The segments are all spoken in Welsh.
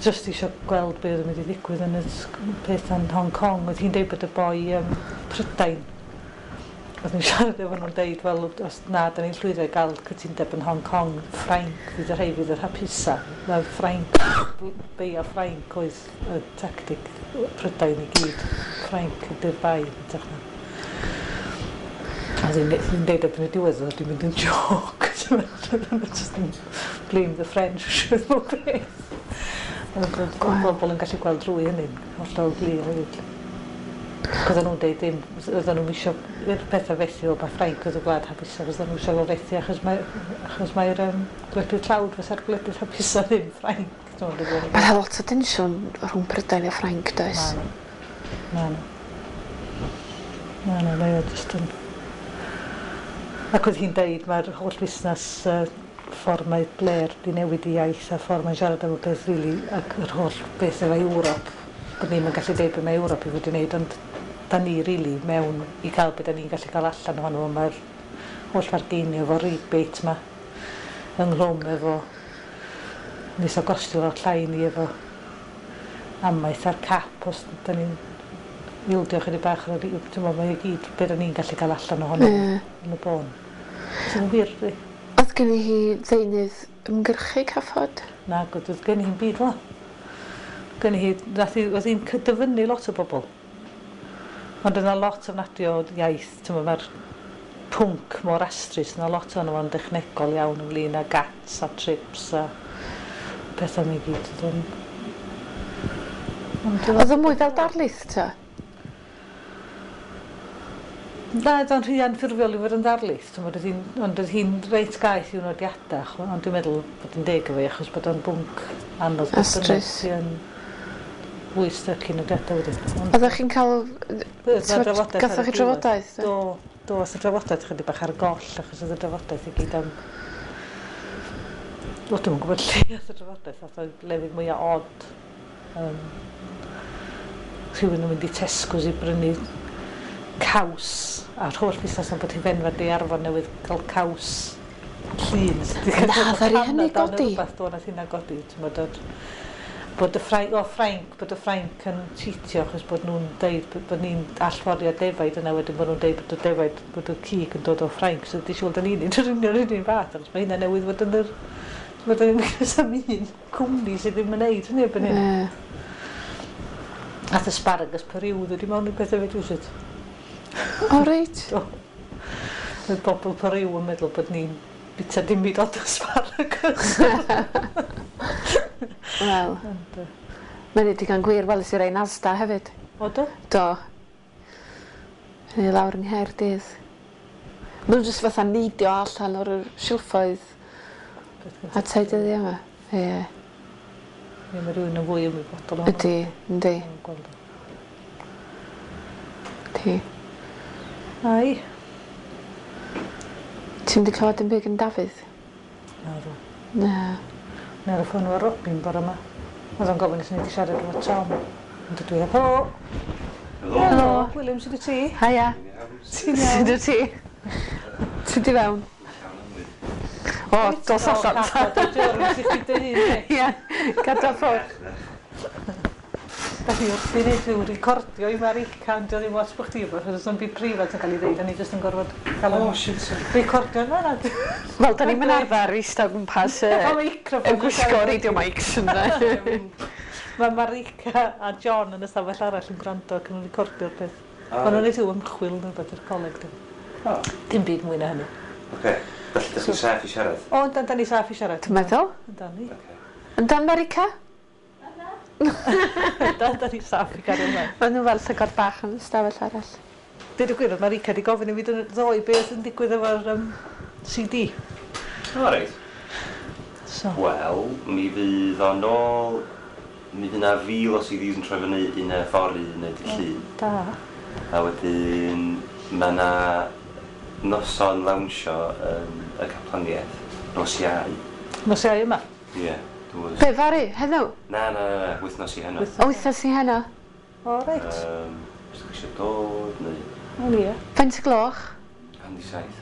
Jyst eisiau gweld beth oedd yn mynd i ddigwydd yn y peth yn Hong Kong. Oedd hi'n deud bod y boi Prydain, oedd ni'n siarad efo nhw'n deud, wel, os na, da ni'n llwyddo i gael cytundeb yn Hong Kong, Ffrainc fydd y rhai fydd yr hapusa. Na, Ffrainc, beio Ffrainc oedd y tactic Prydain i gyd. Ffrainc ydy'r bai, yn hytrach na. A oedd hi'n deud erbyn y diwedd, oedd wedi mynd yn joc. Just yn blame the French, o beth. Oedd bobl yn gallu gweld drwy hynny'n hollol glir hefyd. Ac oedden nhw'n deud dim, oedden nhw'n isio i'r pethau fethu, o mae Ffrainc oedd y gwlad hapusa, oedden nhw eisiau fo fethu achos mae'r gwledydd tlawd fysa'r gwledydd hapusa ddim Ffrainc. Mae yna lot o tensiwn rhwng Prydain a Ffrainc, does? Ma' 'na. Ma' 'na. Mae o jyst yn... Ac oedd hi'n deud mae'r holl fusnes ffordd mae Blair 'di newid ei iaith a ffordd mae'n siarad am y peth rili ac yr holl beth efo Ewrop, bod ni'm yn gallu deud be mae Ewrop i fod i wneud ond 'dan ni rili mewn i gael be 'dan ni'n gallu cael allan ohono fo mae'r holl fargeinio efo rebate 'ma ynghlwm efo neith o gostio lot llai i ni efo amaeth a'r cap os 'dan ni'n ildio chydig bach ar y t'mo' mae o gyd be 'dan ni'n gallu cael allan ohono fo yn y bôn. Sydd yn wir dydi? Oedd genni hi ddeunydd ymgyrchu caffod? Nag oedd, doedd genni hi'm byd fel 'a. Genni hi, nath hi, oedd hi'n dyfynnu lot o bobl. Ond oedd 'na lot ofnadwy o iaith, t'mo' mae'r pwnc mor astrus, yna lot ohono fo'n dechnegol iawn ynglyn â GATS a TRIPS a pethau 'ma i gyd. Oedd o'n... Ond Oedd o mwy fel darlith ta? Na, oedd o'n rhy anffurfiol i fod yn ddarlith, t'mod, oedd hi'n, ond oedd hi'n reit gaeth i'w nodiadau, ond dwi'n meddwl bod yn deg efo hi achos bod o'n bwnc anodd beth bynnag. Astrus. Ti yn fwy styc i nodiadau wedyn. Ond Oeddech chi'n cael... T'mod, Gathoch chi drafodaeth? Do, do, oedd y drafodaeth chydig bach ar goll achos oedd y drafodaeth i gyd am... Wel, dwi'm yn gwybod lle oedd y drafodaeth, ath o i lefydd mwyaf od. Rhywun yn mynd i Tesco's i brynu caws a'r holl busnes am bod hufenfa Daearfon newydd gael caws llun. Na, ddaru hynny godi? Rhywbeth, do, nath hynna godi, t'mod, o'r, bod y Ffrainc, o Ffrainc, bod y Ffrainc yn cheatio achos bod nhw'n deud bod ni'n allforio defaid yna wedyn bod nhw'n deud bod y defaid, bod y cig yn dod o Ffrainc, so di siŵr da ni'n neud yr union yr un fath, achos mae hynna newydd fod yn yr, t'mod, da ni'n am un cwmni sydd ddim yn neud hynny erbyn hyn. Nath asparagus Peru ddod i mewn i pethau hefyd rywsut. O reit. Do. Oedd bobl Peru yn meddwl bod ni'n bita dim byd ond asparagus. Wel. Ond Mae'n digon gwir, weles i rei yn Asda hefyd. O do? Do. Hynny lawr yng Nghaerdydd. Ma' nhw jyst fatha neidio allan o'r silffoedd a tai dyddia yma. Ie. Ie, mae rhywun yn fwy ymwybodol ohono. Ydy, yndi. Gweld o. Yndi. Ai. Ti'm 'di clywed dim byd gan Dafydd? Naddo. Na. O'n i ar y ffôn efo Robin bore 'ma. Oedd o'n gofyn os o'n i 'di siarad efo Tom. Ond dydw i heb. Helo! Helo! Helo! William, sut wyt ti? Haia. Ti'n iawn? Sut wyt ti? Tyd i fewn. O, dos allan ta. O, cadw dy germs i chdi dy hun di. Ie, gadal ffwrdd. Da ni wrthi'n neud rhyw recordio i Marica, ond 'di o ddim ots bo' chdi efo, achos o'm byd preifat yn ca'l 'i ddeud, o'n i jyst yn gorfod ca'l o'n... O shit. Recordio na na. Wel, da ni'm yn arfer eistedd o gwmpas Microphone yn gwisgo radio mics ynde. Mae Marica a John yn y stafell arall yn gwrando ac yn recordio'r peth. Ma' nhw'n neud rhyw ymchwil neu rwbeth i'r coleg dwi. O. Dim byd mwy na hynny. Ocê, felly 'dach chi'n saff i siarad? O yndan, 'dan ni saff i siarad. Dwi'n meddwl. Yndan ni. Ocê. Yndan Marica? Yndan, 'dan ni saff i gario mlaen. Ma' nhw fel llygod bach yn y stafell arall. Deud y gwir, o'dd Marica 'di gofyn i fi ddoe beth yn digwydd efo'r CD. O reit. So. Wel, mi fydd o nôl, mi fydd 'na 1,000 o CDs yn troi fyny un fory neu dydd Llun. Da. A wedyn ma' 'na noson lawnsio yn y Caplaniaeth, nos Iau. Nos Iau yma? Ie. Dwi'n gwbod os... Be, fory? Heddiw? Na, na, na, na, wythnos i heno. O, wythnos i heno. O reit. Os dach chi isio dod neu... O ie. Faint o gloch? 7:30.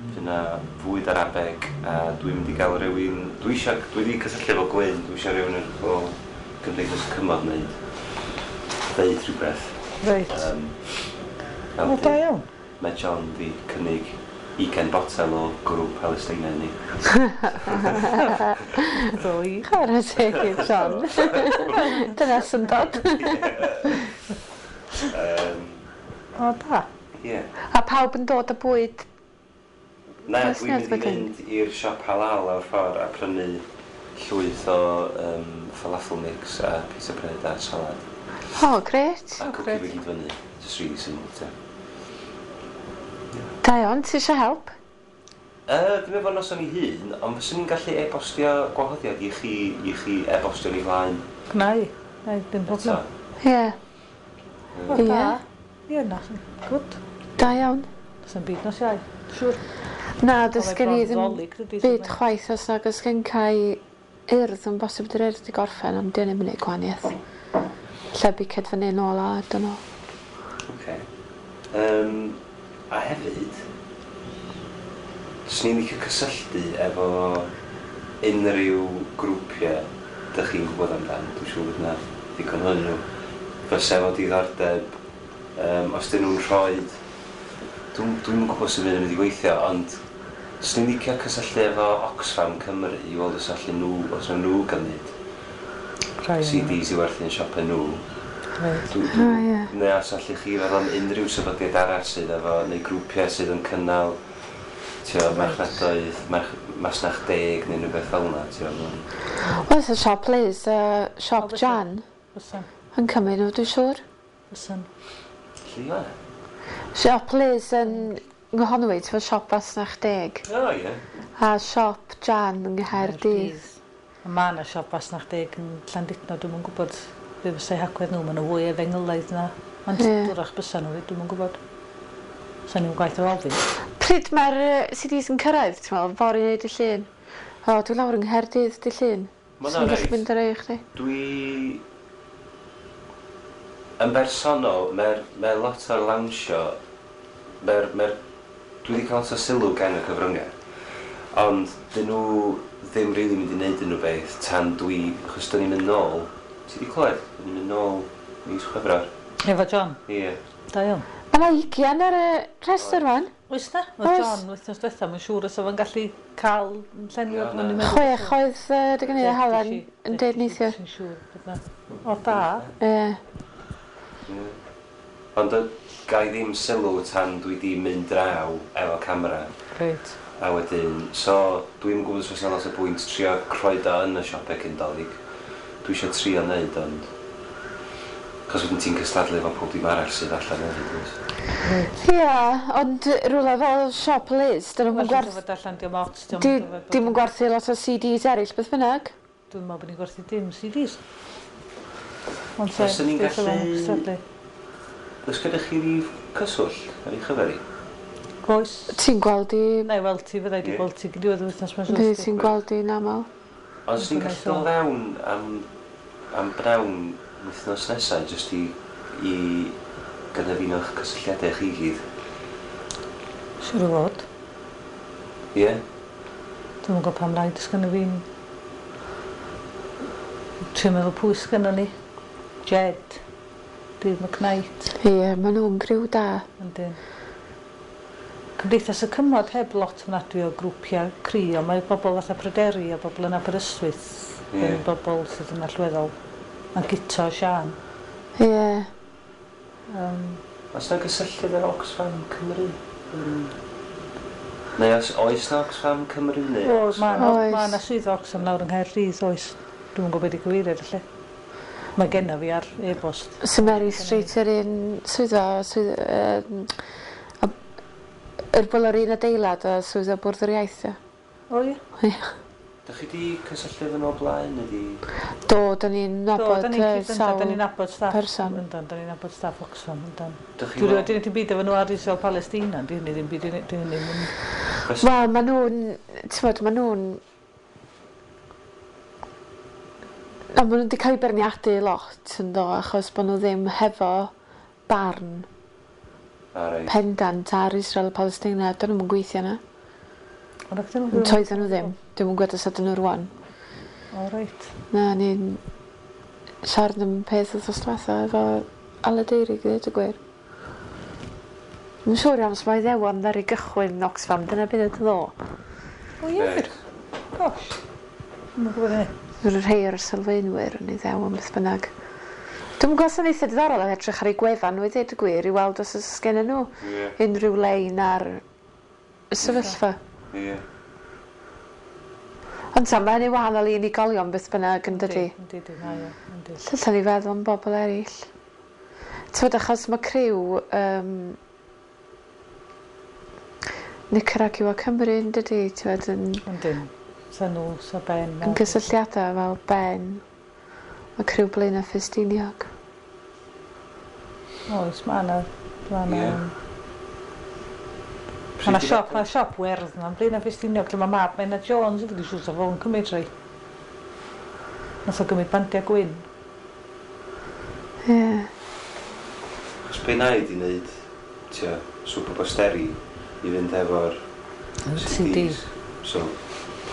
Fydd 'na fwyd Arabeg a dwi'n mynd i gael rywun... Dwi isio... Dwi 'di cysylltu efo Glyn, dwi isio rywun o Gymdeithas y Cymod wneud ddeud rhywbeth. Reit. O, da iawn. Mae John di cynnig 20 botel o gwrw Palestina i ni. Ddwy. Chwarae teg i John. Dyna syndod. O, da. Ie. A pawb yn dod â bwyd? Na, dwi'n mynd i fynd i'r siop halal lawr ffordd a prynu llwyth o falafel mix a pizza bread a salad. O, grêt. A cwcio fe gyd fyny. Just really simple, te. Da iawn, ti eisiau help? Ddim efo noson i hun, ond fyswn i'n gallu e-bostio gwahoddiad i chi, i chi e-bostio ni flaen. Gna i. Na i, dim problem. Ie. O, da. Ie, na, good. Da iawn. Does 'na'm byd nos Iau, siŵr. Na, does gen i ddim byd chwaith os nag oes gen Cai Urdd, yn bosib dy'r Urdd 'di gorffen, ond 'di hynny'm yn neud gwahaniaeth. Lle biced fyny nôl a I don't know. Oce. A hefyd, 'swn i'n licio cysylltu efo unrhyw grwpiau dych chi'n gwybod amdan, dwi'n siŵr bod 'na ddigon ohonyn nhw, fysa efo diddordeb, os 'dyn nhw'n rhoid, dwi'm dwi'm yn gwybod sut mae hyn yn mynd i weithio, ond 'swn i'n licio cysylltu efo Oxfam Cymru i weld os allan nhw, os wnawn nhw gymryd CDs i werthu yn siopau nhw. Reit. Dwi, dwi, O, ie. Neu os allwch chi feddwl am unrhyw sefydliad arall sydd efo, neu grwpiau sydd yn cynnal, tio, marchnadoedd, masnach deg neu rhywbeth fel yna, tio. Oes y siop Liz a siop Jan Fysan. yn cymryd nhw, dwi'n siŵr. Fysan. Lle yw e? Siop Liz yn Nghonwy, ti'n fod siop Fasnach Deg. O, ie. A siop Jan yng Nghaerdydd. A mae yna siop Fasnach Deg yn Llandudno, dwi'm yn gwybod be fysa'i hagwedd nhw, maen nhw fwy efengylaidd na. Ond Ie. dwrach bysa nhw, dwi'm yn gwybod. Sa'n ni'n gwaith o ofyn. Pryd mae'r CDs yn cyrraedd, ti'n meddwl, fory neu dy Llun? O, dwi lawr yng Nghaerdydd dy Llun. Ma' Swn i'n gallu reit. mynd ar ei chdi. Dwi... Yn bersonol, mae'r mae lot o'r lawnsio... Mae'r... Mae dwi wedi cael lot o sylw gan y cyfryngau. Ond dyn nhw ddim rili mynd i wneud unrhyw beth tan dwi... Achos dyn ni'n mynd nôl... Ti wedi clywed? Dyn ni'n mynd nôl mis Chwefror. Efo John? Ie. Da iawn. Mae yna 20 ar y rhestr fan. Oes na? Oedd Oes. John wythnos diwetha, mae'n siŵr os oedd o'n gallu cael llenwi Ie, o'n na. i'n meddwl. 6 oedd dy gynnu Helen yn deud neithiwr. Dwi'n siŵr bod na. O, da. Ie. Ie. Ond ga i ddim sylw tan dwi di mynd draw efo camera. Reit. A wedyn, so dwi'm yn gwybod os oes 'na lot o bwynt trio croedo yn y siopau cyn Dolig. Dwi eisiau trio neud, ond... Cos wedyn ti'n cystadlu efo pob dim arall sydd allan hefyd, wyt? Ie, ond rhywle fel siop Liz, dyn nhw'n Well, gwerth... fod allan, diolch ots, diolch Dim yn gwerthu lot o CDs eraill, beth bynnag. Dwi'n meddwl bod ni'n gwerthu dim CDs. Ond Fysen ni'n beth oedd o'n gallu- cystadlu? Oes gyda chi rif cyswllt ar ei chyfer i? Oes. Ti'n gweld i... Na i weld ti, fydda i di Ie. gweld ti diwedd y wythnos mae'n Fydd ti'n gweld i'n aml. Ond os ni'n gallu dod fewn am bnawn wythnos nesaf, jyst i gynefino'ch cysylltiadau chi gyd. Siŵr o fod. Ie? Dwi'm yn gwybod pam lai, does gynno fi'n... Trio meddwl pwy sgynno ni. Jed. Dave McKnight. Ie, maen nhw'n griw da. Yndyn. Cymdeithas y Cymod heb lot ofnadwy o grwpiau cry, ond mae bobl fatha Pryderi a bobl yn Aberystwyth Ie. yn bobl sydd yn allweddol. A Guto a Sian. Ie. Oes na gysylltiad efo Oxfam Cymru? Neu os oes na Oxfam Cymru neu O, mae 'na Oes. ma' 'na swyddfa Oxfam lawr yng Nghaerdydd, oes. Dwi'm yn gwybod beth i gyfeiriad felly. Mae genna fi ar e-bost. St Mary Street yr un swyddfa, swydd, yr fel yr un adeilad a swyddfa Bwrdd yr Iaith, ie. O ie? Ie. Dych chi 'di cysylltu efo nhw o blaen neu 'di... Do, da ni'n Do, nabod da ni'n cyd- sawl da ni'n nabod staff. person. Yndan, da ni'n nabod staff Oxfam, yndan. Dych chi Dwi rioed 'di neud dim byd efo nhw ar Israel Palestina, di hynny ddim byd, di hynny ddim yn... Wel, maen nhw'n, ti'n maen nhw'n... Na, maen nhw wedi cael eu beirniadu lot yn do, achos bod nhw ddim hefo barn A reit. pendant ar Israel a Palestina. Dyn nhw'm yn gweithio yna. Ond ac dyn nhw Yn toedden nhw ddim. Dwi'm yn gwybod os ydyn nhw rwan. O, reit. Na, ni'n... siarad am peth wythnos diwetha efo Aled Eirig i ddweud y gwir. Dwi'n siŵr iawn os mae Iddewon ddaru gychwyn Oxfam, dyna beth oedd ddo. O ie? Gosh. Dwi'm yn gwybod hynny. Roedd rhai o'r sylfaenwyr yn Iddewon beth bynnag. Dwi'm yn gwybod os yn eitha diddorol am edrych ar eu gwefan nhw i ddweud y gwir i weld os oes gennyn nhw unrhyw lein ar y sefyllfa. Ie. Ond ta, mae hynny'n wahanol i unigolion beth bynnag yn dydi? Yndi, yndi, mae o, yndi. Lle allan ni feddwl am bobl eraill? Tybed achos mae criw um, Nicaragua Cymru yn dydi, tybed, yn... Yndyn. Sa nhw, sa Ben. Yn gysylltiadau fel Ben, a criw Blaenau Ffestiniog. Oes, mae yna... Mae yna... Mae yna siop, mae siop werdd yna, Blaenau Ffestiniog, lle mae mab Menna Jones wedi siŵr sa fo'n cymryd rhai. Nath o gymryd bandiau gwyn. Ie. Yeah. Os be na i di wneud, tua, swp o bosteri i fynd efo'r CDs. So,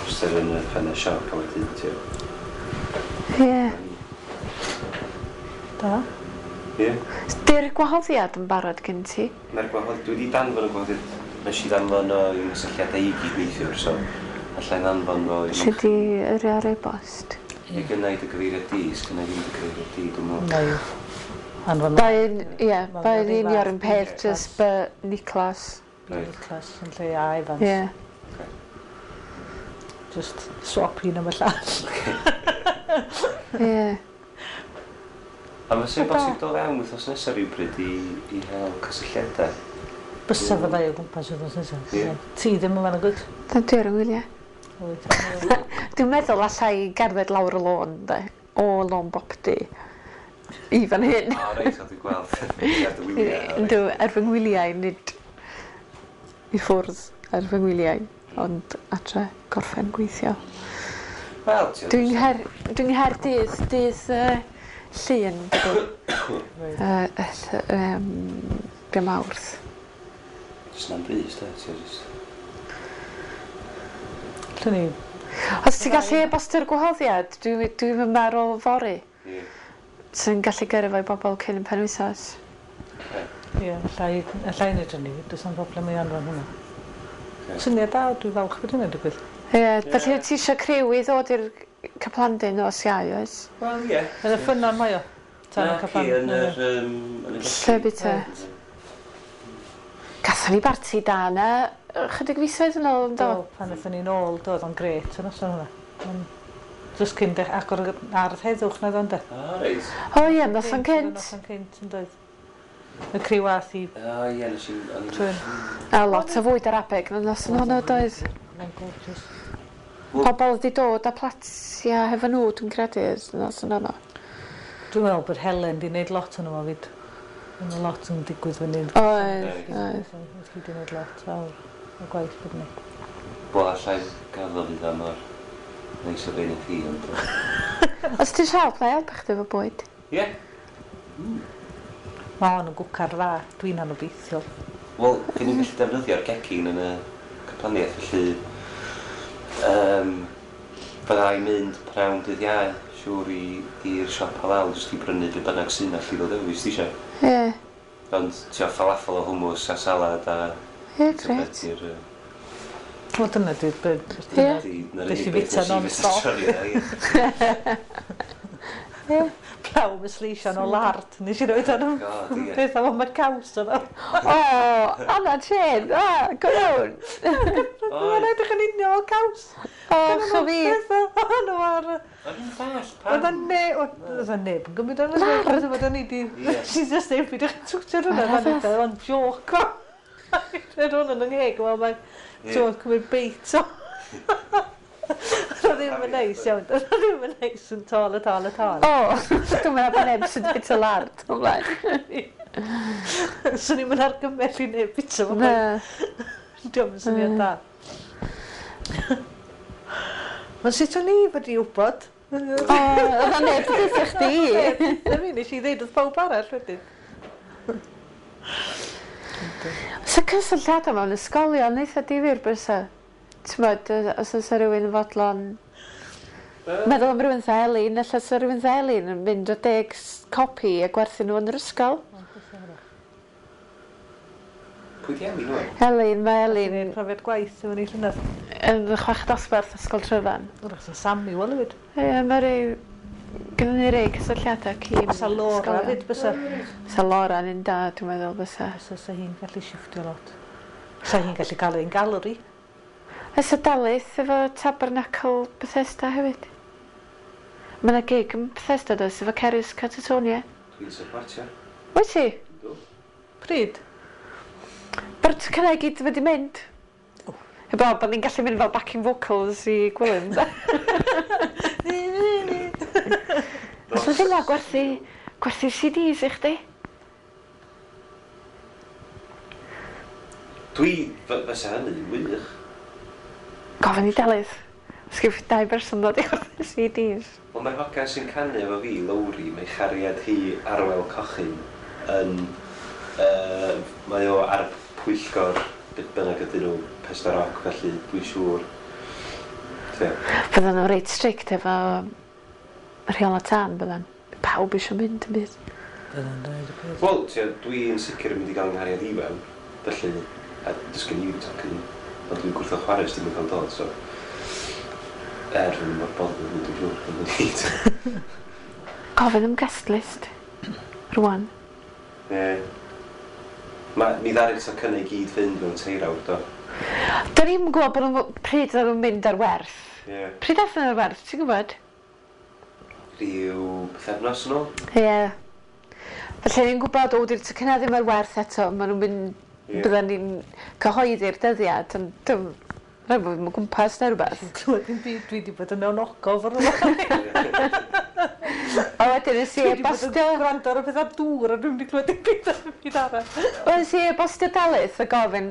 poster yn y ffenest siop a wedyn, tua. Ie. Yeah. Da. Ie. Yeah. Di'r gwahoddiad yn barod gen ti? Mae'r gwahoddiad, dwi wedi danfon y gwahoddiad. Nes i ddanfon o i'w nghysylltiadau i gyd neithiwr, so allai ddanfon o i... Lle di yrru ar e-bost? Ie, gynna i dy gyfeiriad di, sgynna i ddim dy gyfeiriad di, dwi'n meddwl. Anfon... Mae'n, ie, mae'n union un peth, just B Niclas. B Niclas yn lle A Evans. Ie. Just swap un am y llall. Ie. A fysa'n bosib dod fewn wythnos nesaf rhywbryd i hel cysylltiadau? Bysa fyddai o gwmpas wythnos nesaf. Ti ddim yn fan o gwyd? Na, dwi ar y wyliau. Dwi'n meddwl allai gerdded lawr y lôn, de, o lôn Bopty i fan hyn. O, reit, o, dwi'n gweld. Ar dy wyliau. Yndw, ar fy ngwyliau, nid i ffwrdd ar fy ngwyliau, ond adre gorffen gweithio. Wel, Dwi'n dwi'n Nghaerdydd dydd Llun, dydy. Mawrth. Jyst na'n brys, de, ti'n just... Lle ni? Os ti'n gallu e-bostio'r gwahoddiad, dwi'n dwi meddwl fory. Ie. Sy'n gallu gyrru fo i bobl cyn y penwythnos. Ie, allai wneud hynny, does na'm problem i anfon hwnna. Syniad da, dwi'n falch bod hynny'n digwydd. Ie, felly ti eisiau criw i ddod i'r Caplandy nos Iau, oes? Wel, ie. Yn y ffynnon mae o? Na, ci, yn yr... Lle bita? Gathon ni barti da yna chydig fisoedd yn ôl, yndo? Do, pan aethon ni'n ôl, do, oedd o'n grêt yn noson hwnna. Just cyn agor yr ardd heddwch na ddo, ynde? O, reit. O ie, noson cynt. Noson cynt, yn doedd. Y criw ath i... O ie, nes i... A lot o fwyd Arabeg yn y noson honno, doedd? Mae'n gorgeous. Pobl wedi dod â platia hefo nhw, dwi'n credu, y noson honno. Dwi'n meddwl bod Helen di wneud lot o'n nhw fyd. Mae lot yn digwydd fan hyn. Oedd, oedd. Oedd hi di wneud lot fawr o gwaith bod ni. Wel, allai gaddo fydd am o'r neis o fein i chi, ond... Os ti'n siarad, na i helpu chdi efo bwyd? Ie. Mae hon yn gwcar dda, dwi'n anobeithiol. Wel, dyn ni'n gallu defnyddio'r gegin yn y caplaniaeth, felly... Fydda i'n mynd prawn dydd Iau, siŵr i'r siop halal, jyst i brynu be bynnag sy'n allu ddod efo fi, os ti eisiau. Ie. Ond, ti'n falafel o hummus a salad a... Ie, grêt. Wel, dyna dwi'n... Ie. Nes i fita non-stop. Ie. Pawb yn sleisian o lard. Nes i roed ar peth am y caws yna. O, Anna Chen, a, go iawn. Mae'n edrych yn union fel caws. O, chyfi. O'n ar... O'n i'n ddall, pam? Oedd neb yn gymryd o'n lard. Oedd o'n i di... She's just neb i ddechrau twtio'r hwnna. Oedd o'n joc. Roedd hwn yn yngheg, wel mae'n cymryd beit o. Oedd ddim yn neis iawn. Oedd ddim yn neis yn tol a tol a tol. O, dwi'n meddwl bod neb sy'n bita lard o blaen. Swn i'n mynd argymell i neb bita fo. Na. Diolch yn syniad da. Mae'n sut o'n i fod i wybod? O, oedd o'n neb yn deutha chdi. Na fi, nes i ddeud wrth pawb arall wedyn. Sa cysylltiadau mewn ysgolion eitha difyr bysa? T'mod, os oes rhywun yn fodlon Meddwl am rhywun fatha Elin, ella sa rhywun fatha Elin yn mynd o 10 copi a gwerthu nhw yn yr ysgol. Pwy di Elin wan? Elin, mae Elin... Yn profiad gwaith efo ni llynedd. Yn chweched dosbarth Ysgol Tryfan. Wrach sa Samuel hefyd. Ie, mae rei... Gynnon ni rei cysylltiadau cyn Bysa Laura hefyd, bysa. Bysa Laura yn un da, dwi'n meddwl, bysa. Bysa, sa hi'n gallu shifftio lot. Sa hi'n gallu cael ein galeri. Fysa Delyth efo Tabernacle Bethesda hefyd. Mae yna gig yn Bethesda does, efo Cerys Catatonia. Dwi'n supportio. Wyt ti? Yndw. Pryd? Mae'r tocynnau i gyd wedi mynd. Heblaw bod ni'n gallu mynd fel backing vocals i Gwilym. Os oedd hynna gwerthu, gwerthu CDs i chdi? Dwi, fysa hynny'n wych. Gofyn i Delyth. Os gyf dau berson ddod i werthu CDs. Wel, mae'r hogan sy'n canu efo fi, Lowri, mae chariad hi Arwel Cochyn yn... Mae o ar pwyllgor beth bynnag ydyn nhw, Pesda Rock, felly dwi'n siŵr. Fyddan nhw'n reit strict efo rheola tân, byddan. Pawb eisiau mynd yn byd. Byddan dweud y peth. Wel, dwi'n sicr yn mynd i gael nghariad i fewn, felly, a does gen i ddim tocyn, ond dwi'n gwrthod chwarae os dim yn cael dod, so... Er, fy mor bothered yn mynd, dwi'n siŵr, yn mynd. Gofyn am guest list, rwan. Ie. Ma, mi ddaru'r tocynnau i gyd fynd mewn 3 awr, do. Da ni'm yn gwybod bod nhw, pryd oedden nhw'n mynd ar werth. Ie. Pryd aethon nhw ar werth, ti'n gwybod? Rhyw pythefnos yn ôl. Ie. Felly ni'n gwybod, o, di'r tocynnau ddim ar werth eto, maen nhw'n mynd, Ie. bydden ni'n cyhoeddi'r dyddiad, ond dim, rhaid bod fi'n gwmpas neu rhywbeth. Dwi'n clywed dim byd, dwi wedi bod yn mewn ogof ar rhywbeth. A wedyn nes i Dwi wedi bod yn e-bostio... gwrando ar y pethau dŵr a dwi'n wedi clywed dim byd ar y byd arall. Wel, nes i e-bostio Delyth a gofyn,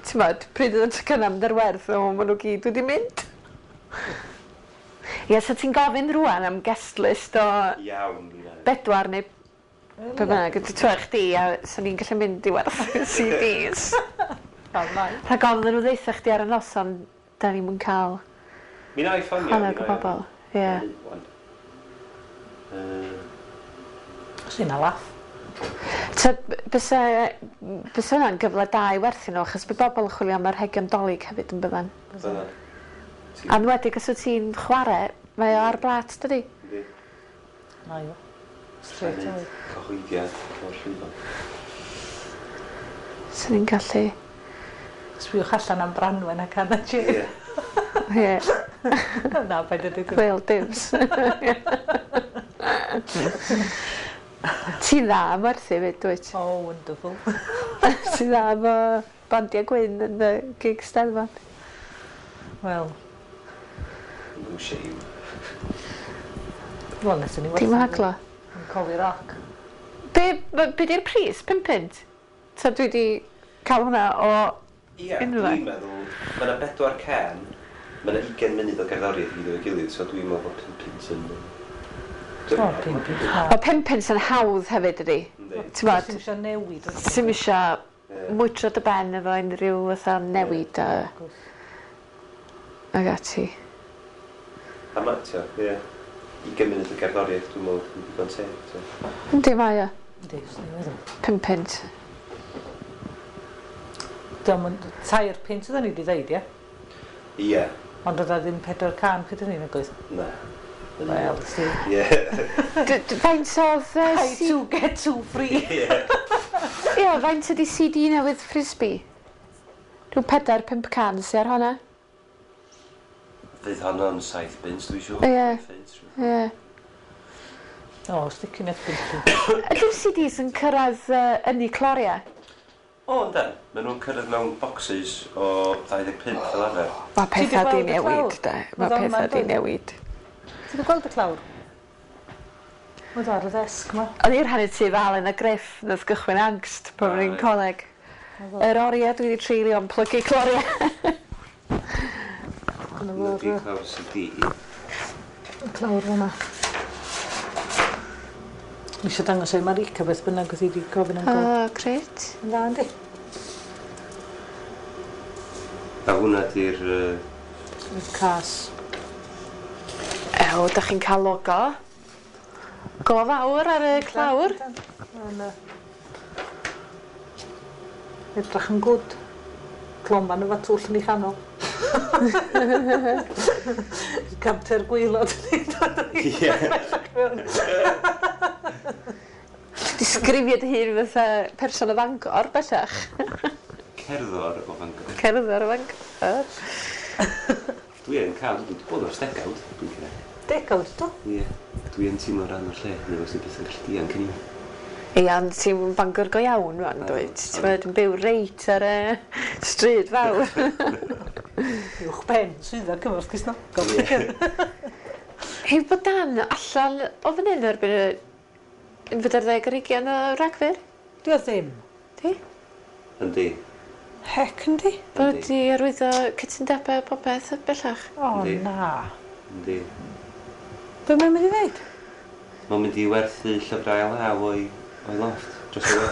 ti'mod, pryd oedd y tocynnau mynd ar werth, o, maen nhw gyd wedi mynd. Ie, so ti'n gofyn rwan am guest list o Iawn, dwi'n meddwl. bedwar neu be bynnag, ti'n twech chdi, a so ni'n gallu mynd i werthu CDs. Rhag ofn iddyn nhw ddeutha chdi ar y noson, da ni'm yn cael Mi na i ffonio. hanner o bobl. Ie. Os yna laff. Ta, bysa, bysa hwnna'n gyfle da i werthu nhw, achos bydd bobl yn chwilio am arhegion Dolig hefyd yn byddan. Byddan. A enwedig os wyt ti'n chwarae, mae o ar blat, dydi? Yndi. Na i o. Straight away. Cyhoeddiad o'r llwyfan. So ni'n gallu... Sbïwch allan am Branwen ac Anna Jane. Ie. Ie, Na, paid â deud. Wel, dims. Ti'n dda am werthu fyd, dwyt? Oh, wonderful. Ti'n dda am bandiau gwyn yn y gig Steddfod. Wel, No shame. wel, nes i ni Dim haglo. Yn Cofi Rock. Be di'r pris? 5 punt? Ta dwi di cael hwnna o... Ie, Unrhyw le. dwi'n meddwl, mae yna 4 cen, mae yna 20 munud o gerddoriaeth i gyd efo'i gilydd, so dwi'n meddwl bod 5 punt yn... O, 5 punt. O, 5 punt yn hawdd hefyd ydi. Yndi. Ti'n bod, Ti'n eisiau newid. ti'm isio Ie. mwydro dy ben efo unrhyw fatha newid a, ag ati. A ma, t'o, ie. 20 munud o gerddoriaeth, dwi'n meddwl, yn digon teg. So. Yndi, mae o. Yndi, swn i'n meddwl. 5 punt. Diolch yn 3 punt oedden ni wedi ddeud, ie? Ie, Ond oedd o ddim 4 can pryd o'n i'n agos. na. Wel, si. Ie. Faint oedd... Buy two, get two free. Ie. Ie, faint ydi CD newydd Frisbee? Rhyw 4-5 can sy ar honna. Fydd honno'n 7 bunt, dwi'n siŵr. Ie. Punt, rhywbeth. Ie. O, sticking at bunt. Ydy'r CDs yn cyrraedd yn eu cloriau? O, yndan. Maen nhw'n cyrraedd mewn boxes o 25 fel arfer. Mae Ti 'di pethau di gweld y newid, clawr? de. Mae Oedd o'n pethau di ma'n newid. Ti wedi gweld y clawr? Oedd ar y ddesg ma. O'n i'n rhannu tŷ fel yn y griff nath gychwyn angst pan o'n i'n Right. coleg. Yr oriau dwi wedi treulio yn plygu cloriau. Dyna Nhw fo'r di clawr CD. y clawr fyna. Ni eisiau dangos ei Marika beth bynnag oedd hi wedi gofyn am O, god. grêt. Yn dda, yndi? A hwnna di'r... Y cas. Ew, da chi'n cael logo. Go fawr ar y clawr. Mae'n edrych yn gwd. Cloman efo twll yn ei chanol. Canter gwaelod yn ei dod Ie. mewn. Disgrifio dy hun fatha person o Fangor, bellach. Cerddor o Fangor. Cerddor o Fangor. Dwi yn cael, dwi wedi bod o'r degawd, dwi'n credu. Degawd, do? Ie. Dwi yn teimlo rhan o'r lle, neu os dwi'n byth yn gallu dianc yn i. Ie, ond ti'n Bangor go iawn rwan, dwyt? Ti'n bod yn byw reit ar y stryd fawr. Uwch ben, swyddfa Cymorth Cristnogol. Hei, bod Dan allan o fan hyn erbyn y 21 o Ragfyr? Dwi o ddim. Di? Yndi. Hec yndi? Bod wedi arwyddo cytundebau popeth bellach. O, Yndi. na. Yndi. Be mae'n mynd i ddeud? Mae'n mynd i werthu llyfrau ail law o'i, o'i loft dros y we.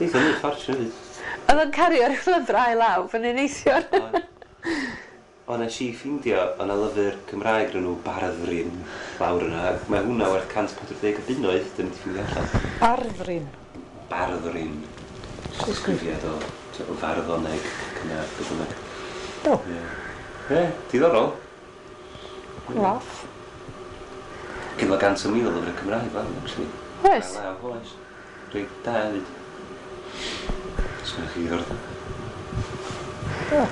Neith o'n neud ffortiwn hefyd. Oedd o'n cario'r llyfrau ail law fan hyn neithiwr. O, nes i ffeindio, o na lyfr Cymraeg rhan nhw Barddrin lawr yna. Mae hwnna werth 140 o bunnoedd, dyn ni wedi ffeindio allan. Barddrin. Barddrin. Disgrifiad o, o farddoneg cynnar, beth bynnag. Do. Ie, Ie, diddorol. Laff. Gynno 100,000 o lyfrau Cymraeg fel, actually. Oes? Ail law, oes. Reit da hefyd. Sgynnoch chi ddiddordeb? Do.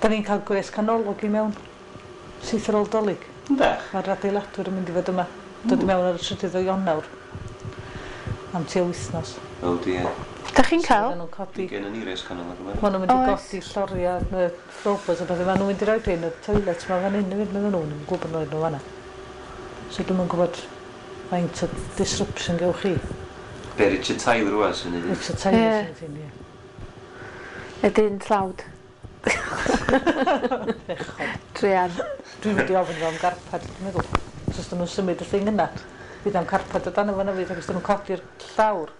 Da ni'n cael gwres canolog i mewn. Syth ar ôl Dolig. Yndach? Mae'r adeiladwyr yn mynd i fod yma. Dod i mewn ar y 3 o Ionawr. Am tua wythnos. O, di, e. Da chi'n cael? So, fydden nhw'n codi. Gen yn i res canolog yma. Maen nhw'n mynd i Oes. godi lloriau, y robots a pethau. Maen nhw'n mynd i roi rhain y toilet ma fan hyn hefyd, medden nhw. Ddim yn gwybod nhw'n nhw fanna. So dwi'm yn gwybod faint o disruption gewch chi. Be, Richard Tyler rwan sy'n neud? Richard Tyler Ie. sy'n hyn, ie. Y dyn tlawd. Druan. Dwi'n mynd i ofyn iddo am garpad, dwi'n meddwl. So os dyn nhw'n symud y thing yna, fydd am carpad o dan o fanna fydd, ac os dyn nhw'n codi'r llawr,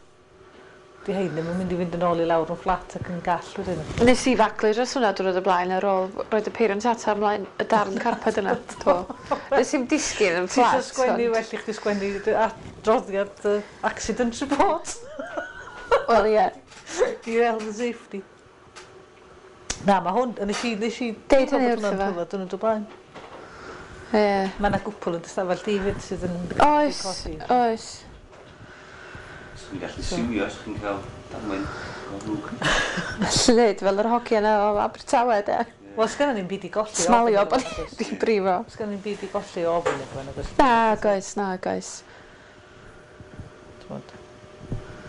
di hein ddim yn mynd i fynd yn ôl i lawr yn fflat ac yn gall wedyn. Nes i faglu dros hwnna diwrnod o blaen ar ôl roed y peiriant ata ymlaen y darn carped yna. Do. Nes i'm disgyn yn Ti eisiau fflat. sgwennu, ond- well i chdi sgwennu adroddiad accident report Wel, ie. i health and safety. Na, mae hwn, nes i Deud hynny bod hwnna'n wrtho fo. rhyfedd diwrnod o blaen. Ie. Mae yna gwpl yn ystafell di fyd sydd yn Oes, codi. oes. Swn i'n gallu siwio os chi'n cael damwain o ddrwg. Llyd fel yr hogia yna o Abertawe, de. Wel, sgynnon ni'm byd i golli. o Smalio ofn bod iddo fo, nag oes? ni'n brifo. Sgynnon ni'm byd i golli o ofn iddo fo, nag oes? Na, goes, na, goes. T'mod.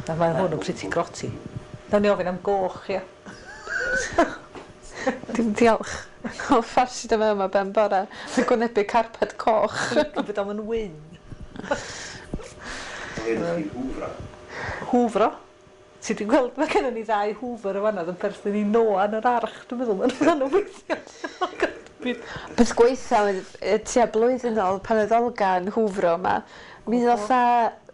Na, mae hwn yn pretty grotty. Nawn ni ofyn am goch, ia. Dim diolch. O ffarsi dyma yma ben bore. Yn gwynebu carped coch. Dwi'n bod o'n wyn. Ie, ydych chi'n hwfro. Hwfro. Ti di gweld, mae gennym ni ddau hwfr o fanna oedd yn perthyn i Noa yn yr arch, dwi'n meddwl, maen nhw'n weithio. Beth gweitha oedd tua blwyddyn ôl pan oedd Olga yn hwfro yma, mi ddoth â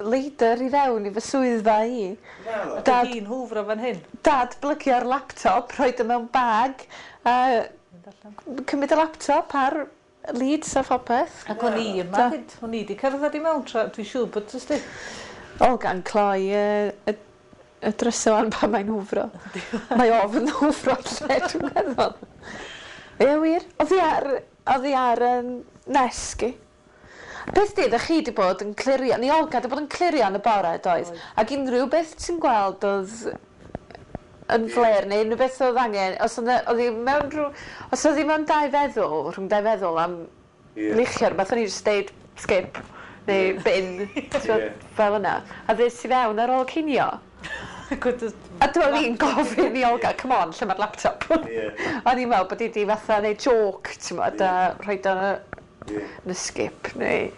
leidr i fewn i fy swyddfa i. Dad... Dad, Hi'n hwfro fan hyn. dad blygio'r laptop, rhoid o mewn bag, a Mynd allan. cymryd y laptop ar leads a phopeth. Ac o'n i yma Da. fyd, o'n i di cerdded i mewn, tra, dwi'n siŵr bod, ysdi. Olga'n cloi y drysau wan pan mae'n hwfro. Mae ofn hwfro lle, dwi'n meddwl. Ie, wir. Oedd hi ar, oedd hi ar nesg i. Peth di, ddech chi wedi bod yn clirio, ni Olga wedi bod yn clirio yn y bore, doedd? Oedd. Ac unrhyw beth ti'n gweld oedd yn fler, neu unrhyw beth oedd angen, os oedd oedd hi mewn rhyw, os oedd hi mewn dau feddwl, rhwng dau feddwl am Ie. lichio'r beth, o'n i jyst deud skip, neu bin, ti'n Ie. fel yna. A ddes i fewn ar ôl cinio. Gwyd- A dwi'n i'n gofyn i Olga, come on, lle mae'r laptop? Ie. O'n i'n meddwl bod hi di fatha neud joke, ti'n meddwl, a rhoid o Ie. yn y skip, neu...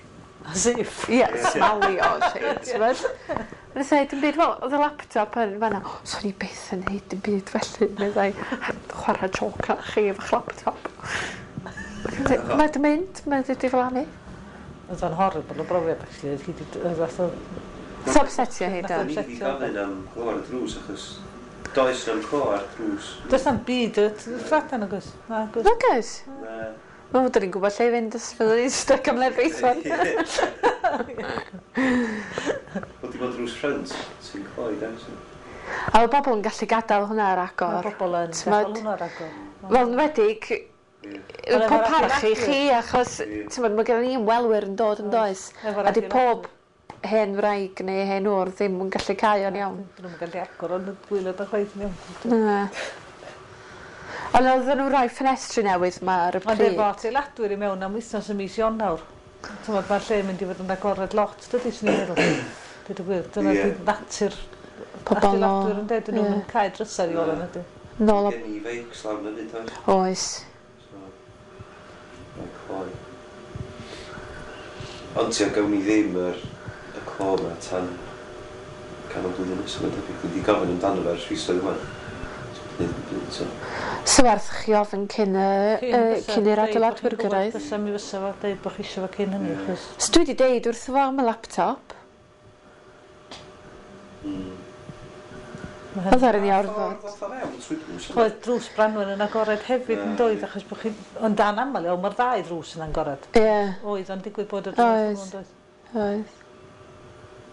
As if. Ie, smalio, lle, ti'n meddwl? Nes i dim byd, wel, oedd y laptop yn fanna, o, swn i byth yn neud dim byd felly, meddai, chwarae joke ar chi efo'ch laptop. Mae di mynd, mae di diflannu. Oedd o'n horrible o brofiad, actually. Oedd hi 'di- oedd fath o... It's upsetio hi, Nath do. o O'n i wedi gofyn am glo ar y drws achos does na'm clo ar drws. Does na'm byd y fflat nag oes? Na, oes. Nag oes? Na. Wel, dyn ni'n gwybod lle i fynd os fyddwn ni'n stuck am lefrith wan. Wel, dim ond drws ffrynt sy'n cloi, de, so. A mae bobl yn gallu gadael hwnna ar agor. Mae bobl yn gadael hwnna ar agor. Wel, yn enwedig, pob parch i chi, achos, ti'n mae gen ni ymwelwyr yn dod yn does. A di pob hen wraig neu hen ŵr ddim yn gallu cau o'n iawn. Dyn nhw'n gallu agor o'n gwaelod o chwaith yn iawn. Na. Ond oedden nhw'n rhoi ffenestri newydd ma ar y pryd. Ond efo adeiladwyr i mewn am wythnos ym mis Ionawr. T'mod, mae'r lle yn mynd i fod yn agored lot, dydy, swn i'n meddwl. Dweud y gwir, dyna yeah. Natur adeiladwyr yn dweud, dyn nhw'n cau drysau i ola, nadi. Nôl Gen i feics lawr na fyd, oes? Oes. So, mae'n cloi. Ond ti'n gawn ni ddim yr y clo yma tan canol blwyddyn nesaf, mae'n debyg. Dwi wedi gofyn amdano fe ers fisoedd ŵan. So, So werth chi ofyn cyn, y, cyn i'r adeiladwyr gyrraedd. Fysa mi fysa fo deud bod chi eisiau fo cyn hynny, achos... So dwi wedi deud wrtho fo am y laptop. Oedd ar ni orfod. Oedd drws Branwen yn agored hefyd yn doedd, achos bod chi... Ond dan aml iawn, mae'r ddau ddrws yn agored. Ie. Oedd, ond digwydd bod y drws yn doedd. Oedd.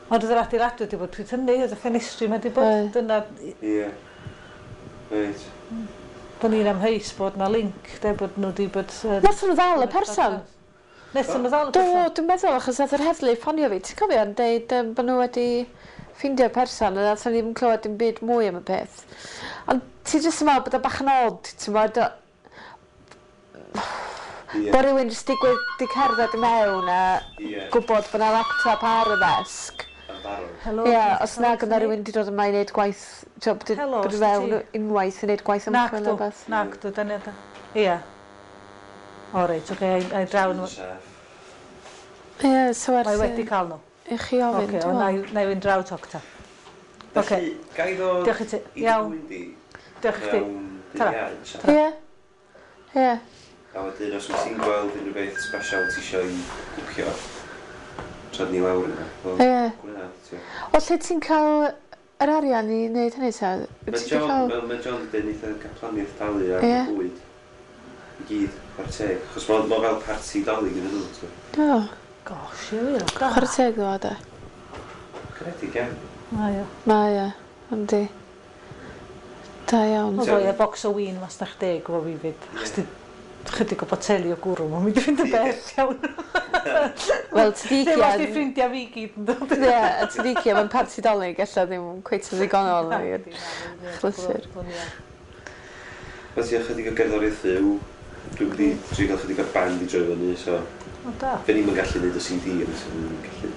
Ond oedd yr adeiladwyr wedi bod pryd hynny, oedd y ffenestri wedi bod. Dyna... Ie. Reit. Bod ni'n amheus bod na link, de, bod nhw wedi bod... Nathon nhw ddal y person? Nethon nhw ddal y person? Do, dwi'n meddwl, achos nath yr heddlu ffonio fi, ti'n cofio, yn deud bod nhw wedi ffeindio'r person, a nathon ni ddim clywed dim byd mwy am y peth. Ond ti jyst yn meddwl bod o bach yn odd, ti'n meddwl, bod rhywun jyst digwydd di cerdded i mewn a gwybod bod na laptop ar y ddesg. Helo, Ie, os nag yna rhywun wedi dod yma i wneud gwaith, bod wedi fewn unwaith i wneud gwaith ymchwil neu beth. Nacdw, dyna da. Ie. O reit, oce, ai draw nhw. Ie, so werth... Mae wedi cael nhw. I chi ofyn, dwi'n meddwl. Oce, na i fynd draw toc ta. Oce. Ga i ddod Diolch i ti. Iawn. Diolch i chdi. Tara. Ie. Ie. A wedyn, os wyt ti'n gweld unrhyw beth special ti eisiau i bwcio, trod ni lawr yna. Ie. O lle ti'n cael yr arian i wneud hynny ta? Mae John wedi dweud neith y caplaniaeth dalu ar y bwyd. I gyd, chwarae teg. Achos mae fel parti dalu gyda nhw. Do. Gosh, ie wir. Chwarae teg ddo, de. Caredig iawn. Mae o. Mae o, yndi. Da iawn. Oedd o, box o win masnach deg efo fi fyd. Achos di chydig o boteli o gwrw, mae'n mynd i fynd yn bell iawn. Wel, Tadicia... Ddim os di ffrindiau fi gyd yn dod. Ie, a Tadicia, mae'n parti Dolig, ella ddim cweit yn ddigonol i'r chlysur. Wel, ti chydig o gerddoriaeth fyw. Dwi'n mynd i drio gael chydig o'r band i droi fyny, so... O, da. Fe ni'm yn gallu neud y CD, ond so ni'n gallu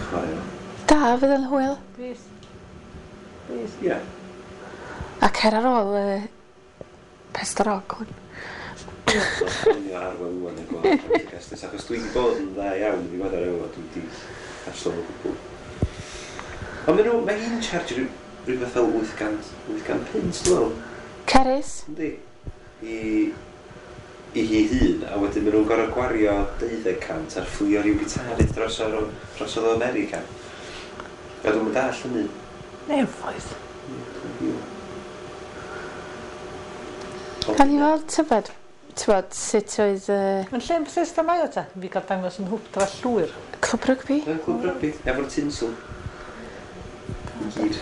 chwarae o. Da, fydd yn hwyl. Bydd. Bydd. Ie. A cer ar ôl Pester Rock hwn. Ffonio Arwel ŵan a gweld Prendergast, achos dwi wedi bod yn dda iawn yn ddiweddar efo, dwi wedi canslo o gwbl. Ond maen nhw, mae hi'n charge rhywbeth fel 800, 800 punt, dwi'n meddwl. Cerys? Yndi. I hi hun, a wedyn maen nhw'n gorfod gwario 200 ar fflio rhyw gitarydd dros o America. A dwi'n mynd all hynny. Nefoedd. Gawn ni weld tybed, tybod, sut oedd... Yn lle yn Bethesda mae o ta? Fi gael dangos yn hwpdra llwyr. Clwb rygbi? Clwb rygbi, efo'r tinsel. I gyd.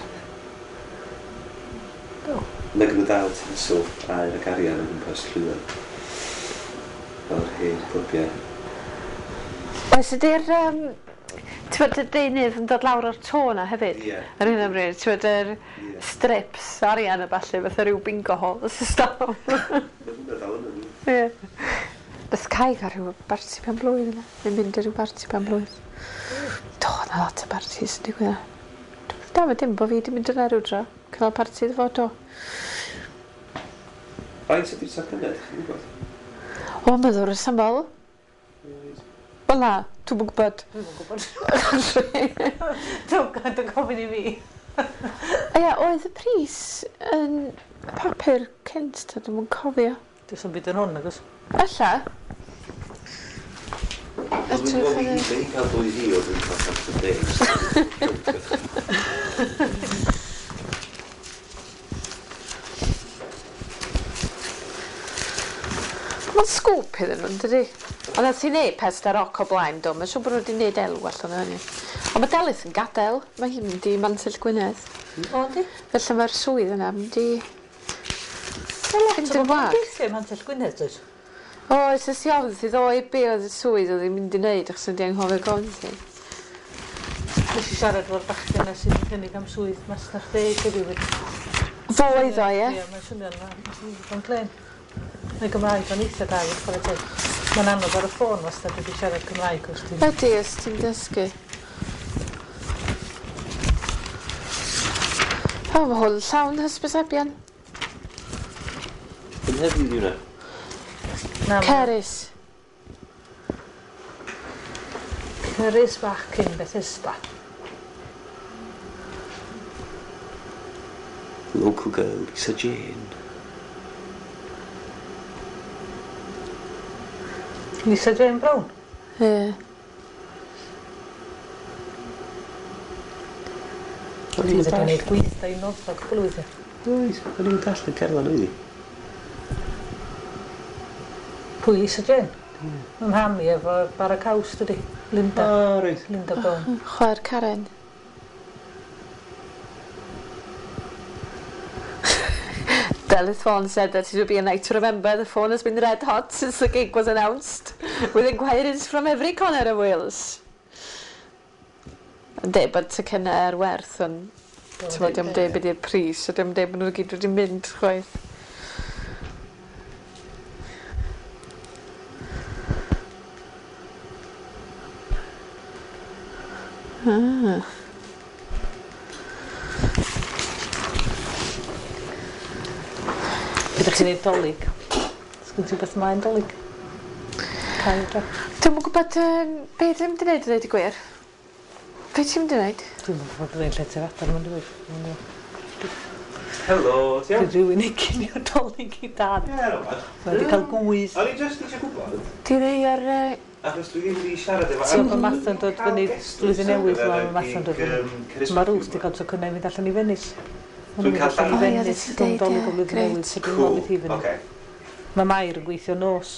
Do. Mae gen nhw dal tinsel, aur ac arian o gwmpas llwyr. Fel yr hen clybiau. Oes ydy'r... Tybod, y deunydd yn dod lawr o'r to na hefyd? Ie. Ar hyn o bryd, tybod, yr strips arian a ballu, fatha rhyw bingo hall system. Mae hwnna dal yna. Ie. Nath Kai gael rhyw barti pen blwydd yna. Neu mynd i rhyw barti pen blwydd. Do, na lot o bartis yn digwydd yna. Da, mae dim bod fi wedi mynd yna rhyw dro. Cynnal parti iddo fo, do. Faint ydy'r tocynnau, ydych chi'n gwybod? O, meddwl rhesymol. Wel na, dwi'm yn gwybod. Dwi'm yn gwybod. Dwi'n gofyn i fi. Ia, oedd y pris yn papur cynt, ta dwi'm yn cofio. Does 'am byd yn hwn, nag oes? Ella. Dwi'n gwybod i hi cael 2,000, dwi'n cael 110. Mae'n sgwp iddyn nhw, dydy? Ond nath hi wneud Pesda Roc o blaen, do. Mae'n siŵr bod nhw wedi wneud elw allan o hynny. Ond mae Delyth yn gadael. Mae hi'n mynd i Mantell Gwynedd. O, yndi? Felly mae'r swydd yna mynd i fynd yn wag. Gweithio i Mantell Gwynedd, does? Oes, es i ofyn wrthi ddoe be oedd y swydd oedd hi'n mynd i wneud, achos o'n i 'di anghofio gofyn iddi. Nes i siarad efo'r bachgen 'na sydd yn cynnig am swydd masnach deg heddiw 'fyd. Fo oedd o, ie? Ie, mae'n swnio'n ddigon clên. Mae Gymraeg o'n eitha da i chwarae teg. Mae'n anodd ar y ffôn wastad wedi siarad Cymraeg os ti'n... Ydy, os ti'n dysgu. O, mae hwn llawn hysbysebion. Yn heddiw di hwnna? Na, Cerys. Cerys bach cyn Bethesda. Local girl, Lisa Jane. Lisa Jane Brown? Ie. Yeah. O'n i'n wedi gwneud gweithdai i Noddfa cwpl o weithiau. Oes, o'n i'n dallt y cerdded oedd hi. Pwy Lisa Jane? Mm. Mae mham i efo bara caws, dydi? Linda. O, oh, reit. Linda Brown. Chwaer Karen. Delyth Vaughan said that it would be a night to remember. The phone has been red hot since the gig was announced, with inquiries from every corner of Wales. Yn deud bod tocynnau ar werth, ond ti'n dio'm deud be di'r pris, a dio'm deud bod nhw gyd wedi mynd chwaith. Ah. Ydych chi'n neud dolyg? Sgyn ti beth mae'n dolyg? Cael dra. Dwi'm yn gwybod um, be dwi'n mynd i wneud i ddweud y gwir. Be ti'n mynd i wneud? Dwi'm yn gwybod byddai'n lle ti adar mae'n dweud. Helo, ti iawn? Dwi rhywun i cinio dolyg i dad. Ie, no bad. Mae wedi cael gwydd. O'n i just eisiau gwybod. Di rei ar... Achos dwi ddim wedi siarad efo... Ti'n gwybod Martha'n dod fyny blwyddyn newydd, mae Martha'n dod fyny. Mae Ruth wedi cael tocynnau i fynd allan i Venice. Dwi'n cael allan i Venice, rhwng Dolig o blwyddyn newydd, so dwi'n meddwl hi fyny. Mae Mair yn gweithio nos.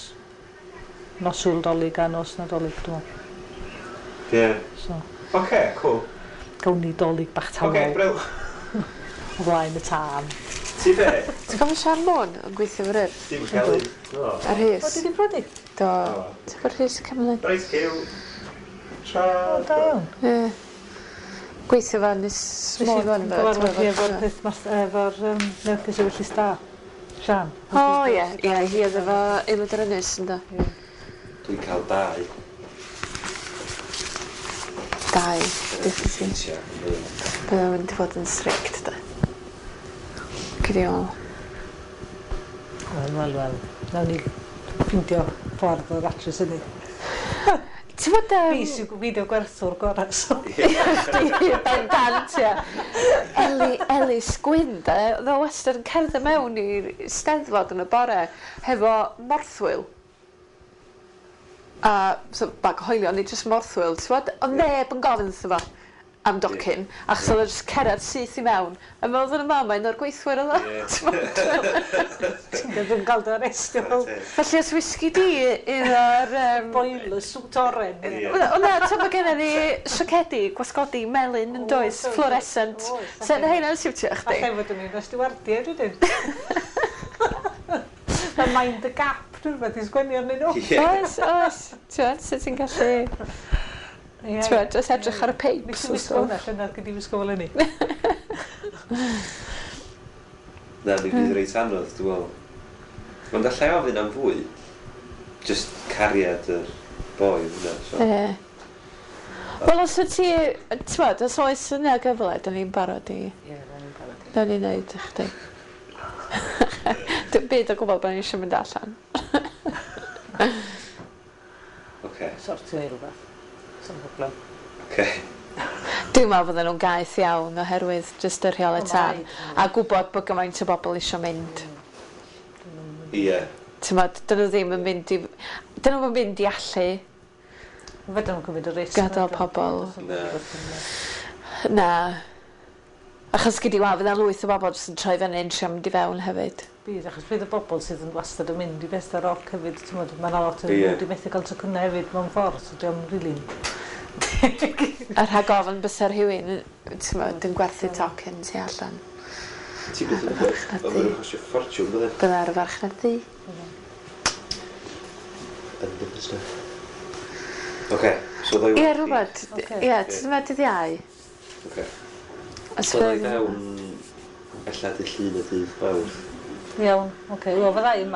Noswyl Dolig a nos Nadolig, dwi'n meddwl. Ie. So. Oce, cool. Gawn ni Dolig bach tawel. Oce, bril. O flaen y tân. Ti be? Ti'n cofio Sian Môn yn gweithio fo'r Urdd? Dim Kelly. A Rhys. O, di di prodi? Do. Ti'n gwybod Rhys y Cymlyn? Reit, Hugh. Tra. O, da iawn. Ie. Gweithio fan is small one. Gyfarfod hi efo'r peth mas, efo'r Mercus Ewyllys Da. Sian. O, ie. Ie, hi oedd efo Aelod yr Ynys, ynddo. Dwi'n cael dau. Dau. Diolch i ti. Bydd o'n mynd i fod yn strict, da. Gyda ôl. Wel, wel, wel. Nawn ni ffindio ffordd o ddatrys hynny. Ti'n bod... Fi sy'n fideo gwerthwr gorau, so... Bendant, ia. Elis Gwyn, de, oedd o wastad yn cerdded mewn i'r Steddfod yn y bore hefo morthwyl. A so, bag o hoelion, neu jyst morthwyl, ti'n bod? Oedd neb yn gofyn wrtho fo am docyn, achos oedd o jyst cerdded syth i mewn. A meddwl yn y mam, mae'n o'r gweithwyr oedd o. Ti'n dod yn cael dy arestio. Felly os wisgi di iddo'r... Boiler suit oren. O na, ti'n bod gennym ni siacedi, gwasgodi, melyn yn does, fluorescent. So na heina'n siwtio chdi. Alla fod yn un o stiwardiaid wedyn. Mae Mind the Gap, dwi'n rhywbeth i sgwennu arnyn nhw. Oes, oes. Ti'n sut ti'n gallu... Ti'n gwybod, jyst edrych ar y peips. Nes i wisgo hwnna, llynedd gyd i wisgo fel hynny. Na, mi fydd reit anodd, dwi'n meddwl. Ond allai ofyn am fwy. Just cariad yr boi hwnna. So. Ie. Wel, os wyt ti, ti'n gwybod, os oes yna gyfle, da ni'n barod i... Ie, da ni'n barod i. Da ni'n neud i chdi. Dim byd o gwbl bod ni eisiau mynd allan. Oce. Sortio i rhywbeth. Some problem. Okay. Dwi'n meddwl fydden nhw'n gaeth iawn oherwydd jyst y rheolau tân a gwybod bod gymaint o bobl eisiau mynd. Ie. Ti'n meddwl, dyn nhw ddim yn mynd i... Dyn nhw'n mynd i allu. Fedrwn nhw'n cymryd y risg. Gadael pobl. Na. Na. Achos gyd i weld, fydda lwyth o bobl jyst yn troi fyny yn trio mynd i fewn hefyd. Bydd, achos bydd y bobl sydd yn wastad yn mynd i bethau roc hefyd, ti'n modd, mae 'na lot yn yeah. Wedi methu cael tocynnau hefyd mewn ffordd, so diolch rili'n A rhag ofn bysa rhywun, ti'n modd, yn gwerthu tocyn tu allan. Ti byth yn gwybod, ond maen nhw'n costio ffortiwn, bydde? Bydde ar y farchnad ddu. Yn the stuff. Oce, so ddoi Ie, rhywbeth. Ie, ti'n meddwl dydd Iau? Oce. Os So ddoi fydd- fewn ella dydd Llun a dydd Mawrth. Iawn, oce, wel fydda i yma.